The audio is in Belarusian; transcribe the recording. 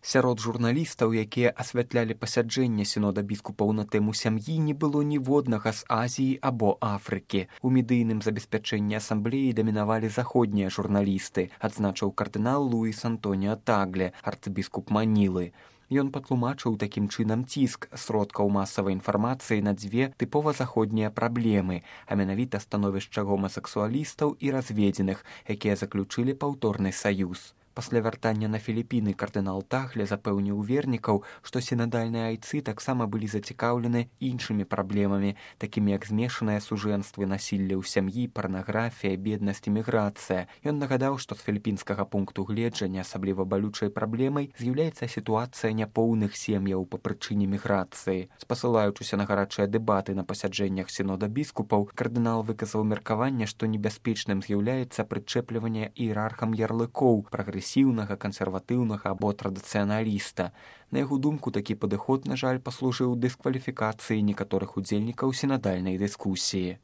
Сярод журналістаў, якія асвятлялі пасяджэнне сінода біскупаў на тэму сям'і, не было ніводнага з Азіі або Афрыкі. У медыйным забеспячэнні асамблеі дамінавалі заходнія журналісты, адзначыў кардынал Луіс Антоніо Тагле, арцыбіскуп Манілы. Ён патлумачыў такім чынам ціск сродкаў масавай інфармацыі на дзве тыпова заходнія праблемы, а менавіта становішча гомасексуалістаў і разведзеных, якія заключылі паўторны саюз. Пасля вяртання на Філіпіны кардынал Тагле запэўніў вернікаў, што сінадальныя айцы таксама былі зацікаўлены іншымі праблемамі, такімі як змешаныя сужэнствы, насілле ў сям'і, парнаграфія, беднасць і міграцыя. Ён нагадаў, што з філіпінскага пункту гледжання асабліва балючай праблемай з'яўляецца сітуацыя няпоўных сем'яў па прычыне міграцыі. Спасылаючыся на гарачыя дэбаты на пасяджэннях сінода біскупаў, кардынал выказаў меркаванне, што небяспечным з'яўляецца прычэпліванне іерархам ярлыкоў прагрэсіўнага, кансерватыўнага або традыцыяналіста. На яго думку, такі падыход, на жаль, паслужыў дыскваліфікацыі некаторых удзельнікаў сінадальнай дыскусіі.